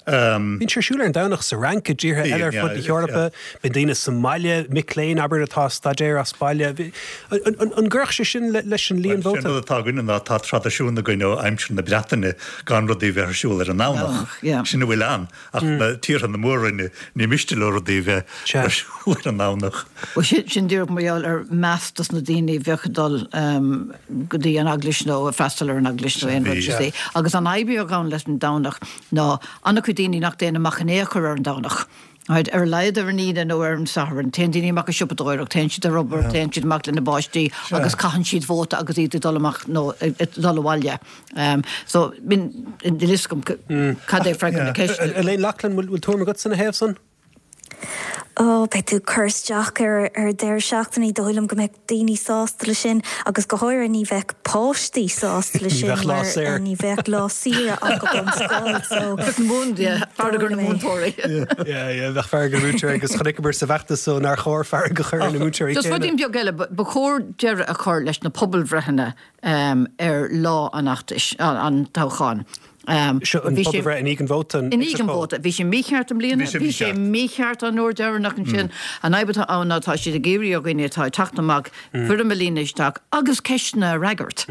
Bíonn sé ar siúl ar an Domhnach sa Fhrainc, i dtíortha eile ar fud na hEorpa. Bíonn daoine sa mbaile, mic léinn, abair, atá ag staidéar as baile. An gcuirfeadh sé sin leis an líon vóta? Bhuel, sé an rud atá againne ná tá traidisiún againn ó aimsir na Breataine gan rudaí a bheith ar siúl ar an nDomhnach. Sin a bhfuil ann. Ach na tíortha na Mór-Roinne, ní miste leo rudaí a bheith ar siúl ar an nDomhnach. Bhuel, sin díreach mar gheall ar meas dos na daoine a bheadh ag dul go dtí an eaglais nó ag freastal ar an eaglais nó aon rud you see. Agus an fhadhb a bheadh ann leis an Domhnach ná an-chuid daoine nach dtéann amach in aon chor ar an Domhnach. Right, ar a laghad ar an Aoine nó ar an Satharn, téann daoine amach ag siopadóireacht, téann siad ar obair, téann siad amach lena bpáistí agus caitheann siad vóta agus iad ag dul amach nó ag dul abhaile. So, níl a fhios agam cad é freagra na ceiste. Elaine Loughlin, bhfuil tuairim agatsa ina thaobh san? Ó, beidh tú ag cur isteach ar ar deireadh seachtaine, ní dóigh liom go mbeadh daoine sásta leis sin agus go háirithe ní bheadh páistí sásta leis sin mar ní bheadh lá saoire acu ón scoil so Fearg ar na múinteoirí. Yeah, yeah, bheadh fearg ar na múinteoirí agus chonaiceamar sa bhfeachtas so nár chóir fearg a chur ar na múinteoirí céanna. Just ruidín beag eile, ba chóir deireadh a chur leis na pobalbhreitheanna ar lá an fheachtais, an toghcháin. Seo an pobalbhreith i ndiaidh an vóta, an exit poll. I ndiaidh an vóta. Bhí sé mícheart i mbliana, bhí sé mícheart an uair deireanach ansin. An fhadhb atá ann ná tá siad ag iarraidh ar dhaoine atá ag teacht amach foirm a líonadh isteach agus ceisteanna a fhreagairt.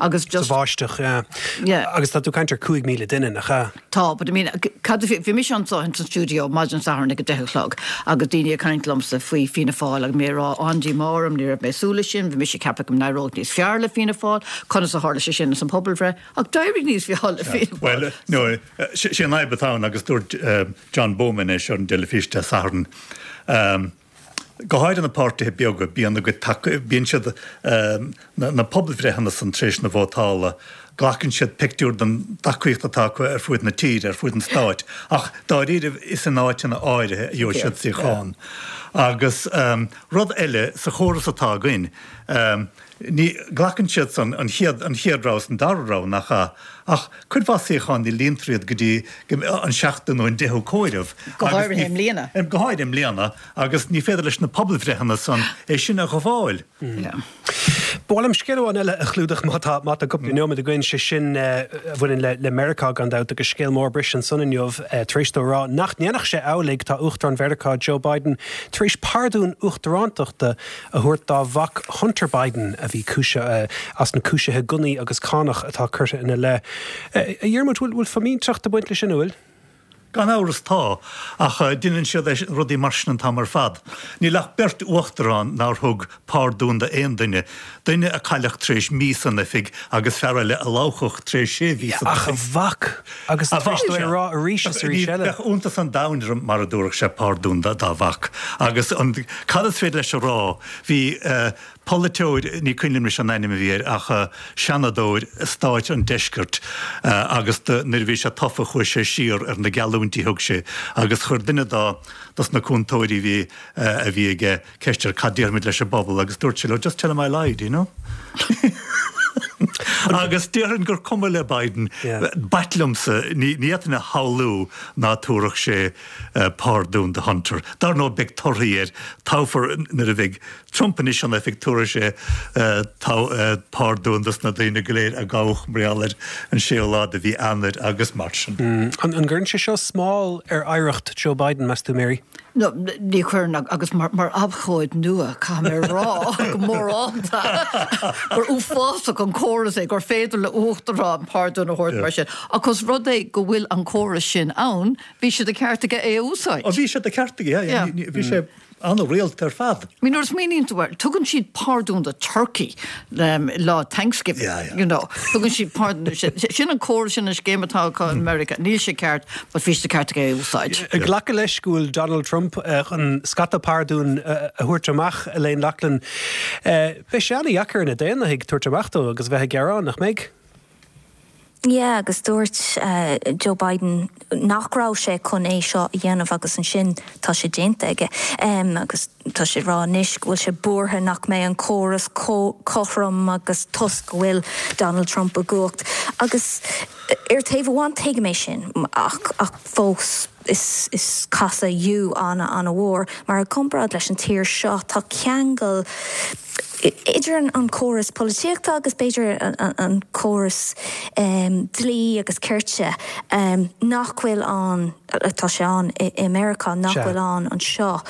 Agus just. Sa bháisteach, yeah. Yeah. Agus tá tú ag caint ar 5,000 duine, nach ea? Tá, but I mean, cad a bhí, bhí mise anseo ins an stiúideo maidin Sathairn ag a deich a chlog agus daoine ag caint liomsa faoi Fianna Fáil agus mé ag rá an-díomá orm, ní raibh mé ag súil leis sin, bhí mise ag ceapadh go n-éireodh níos fearr le Fianna Fáil, conas a tharla sé sin ins an pobalbhreith? Ach d'éirigh níos fearr le Fianna Fáil. Bhuel, no, sé an fhadhb atá ann, agus dúirt John Bowman é seo ar an dteilifís Dé Sathairn, go háirithe na páirtithe beaga, bíonn a gcuid taca, bíonn siad, na pobalbhreitheanna san tar éis na vótála, glacann siad pictiúr den tacaíocht atá acu ar fuaid na tíre, ar fuaid an stáit, ach dáiríribh is in áiteanna áirithe a gheobhaidh siad suíochán. Agus rud eile, sa chóras atá againn, Ní, glacann siad san, an chéad, an chéad rogha is an dara rogha, nach ea? Ach cuid mhaith suíochán ní líontar iad go dtí an seachtú nó an deichiú comhaireamh. Go háirithe i mbliana. Go háirithe i mbliana, agus ní féidir leis na pobalbhreitheanna san é sin a ghabháil. Ba mhaith liom scéal amháin eile a chlúdach má tá, má tá cúpla nóiméad againn, sé sin a bhaineann le, le Meiriceá gan dabht agus scéal mór briste ansan inniu tar éis dó a rá nach ndéanfadh sé amhlaidh, tá Uachtarán Mheiriceá Joe Biden tar éis pardún uachtarántachta a thabhairt dá mhac Hunter Biden, a bhí cúisithe as na cúisithe gunnaí agus cánach atá curtha ina leith. A Dhiarmuid, bhfuil fimínteacht ag baint leis sin, an bhfuil? Gan amhras tá, ach deineann siad rudaí mar sin an t-am ar fad. Níl ach beirt uachtarán nár thug pardún d'aon duine, duine a cailleadh tar éis mí san oifig agus fear eile a lobhadh tar éis sé mhí san oifig. Ach a mhac! Agus tar éis dó é a rá arís is arís eile. Bheadh iontas an domhain orm mara dtabharfadh sé pardún dá mhac. Agus an, cad is féidir leis a rá? Bhí polaiteoir, ní cuimhin liom anois an ainm a bhí air, ach seanadóir stáit an deiscirt agus nuair a bhí sé tofa chuaigh sé siar ar na geallúintí a thug sé agus chuir duine dá, dos na cúntóirí a bhí, a bhí aige, ceist air cad déarfaimid leis an bpobal agus dúirt sé leo just tell them I lied, you know. Agus déarfainn gur cuma le Biden, b'ait liomsa, ní fhéadfainn a shamhlú ná tabharfadh sé pardún do Hunter. Dar ndóigh beidh torthaí air, toghfar nuair a bheidh Trump anois in oifig tabharfaidh sé pardún dos na daoine go léir a gabhadh mar gheall air an séú lá de mhí Eanáir agus mar sin. An gcuireann sé seo smál ar oidhreacht Joe Biden, meas tú, Mary? No, ní chuireann, agus mar abhcóide nua, caithfidh mé a rá go mórálta gur uafásach an córas é gur féidir le uachtarán pardún a thabhairt mar sin. Ach os rud é go bhfuil an córas sin ann, bhí sé de cheart aige é a úsáid. Bhí sé de cheart aige, yeah, bhí sé an-rialta ar fad. I mean, nuair a smaoiníonn tú air, tugann siad pardún do turkey lá Thanksgiving, you know. Tugann siad pardún, sin an córas, sin an scéim atá acu in America. Níl sé ceart, but bhí sé de ceart aige é a úsáid. Ag glacadh leis go bhfuil Donald Trump chun scata pardún a thabhairt amach, Elaine Loughlin, beidh sé an-dheacair ar na Daonlathaigh tabhairt amach dó agus a bheith ag gearán, nach mbeidh? Yeah, agus dúirt Joe Biden nach raibh sé chun é seo a dhéanamh agus ansin tá sé déanta aige. Agus tá sé ag rá anois go bhfuil sé buartha nach mbeidh an córas cothrom agus toisc go bhfuil Donald Trump i gcumhacht. Agus ar taobh amháin tuigim é sin ach ach fós is is casadh U an-an-mhór mar i gcomparáid leis an tír seo tá ceangal. Idir an córas polaitíochta agus b'fhéidir an córas dlí agus cirt nach bhfuil ann, tá sé ann i Meiriceá, nach bhfuil ann anseo.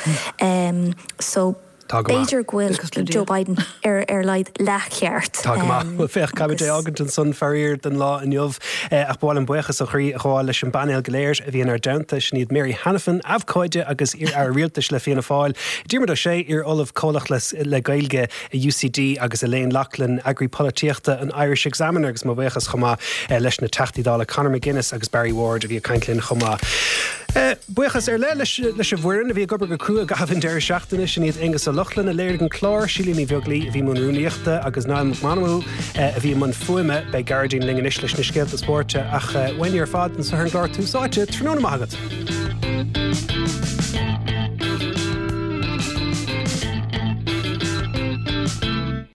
So b'fhéidir go bhfuil Joe Biden ar a laghad leathcheart. Tá go maith. Bhuel féach, caithfimid é a fhágaint ansan faraor don lá inniu. Ach ba mhaith liom buíochas ó chroí a ghabháil leis an bpainéal go léir a bhí inár dteannta. Sin iad Mary Hanafin, abhcóide agus iar-aire rialtais le Fianna Fáil, Diarmuid Ó Sé, iar-ollamh comhlach le Gaeilge i UCD agus Elaine Loughlin, eagraí polaitíochta an Irish Examiner agus mo bhuíochas chomh maith leis na Teachtaí Dála Conor McGuinness agus Barry Ward a bhí ag caint linn chomh maith. Buíochas ar leith leis an bhfoireann a bhí ag obair go crua i gcaitheamh an deireadh seachtaine, sin iad Aonghus Ó Lochlainn a léirigh an clár, Síle Ní Bheaglaoi a bhí i mbun rúnaíochta agus Niall Mac Meanmna a bhí i mbun fuaime. Beidh Gearóidín linn anois leis na scéalta spóirt ach uainne ar fad anseo ar an gclár Tús Áite, tráthnóna maith agat.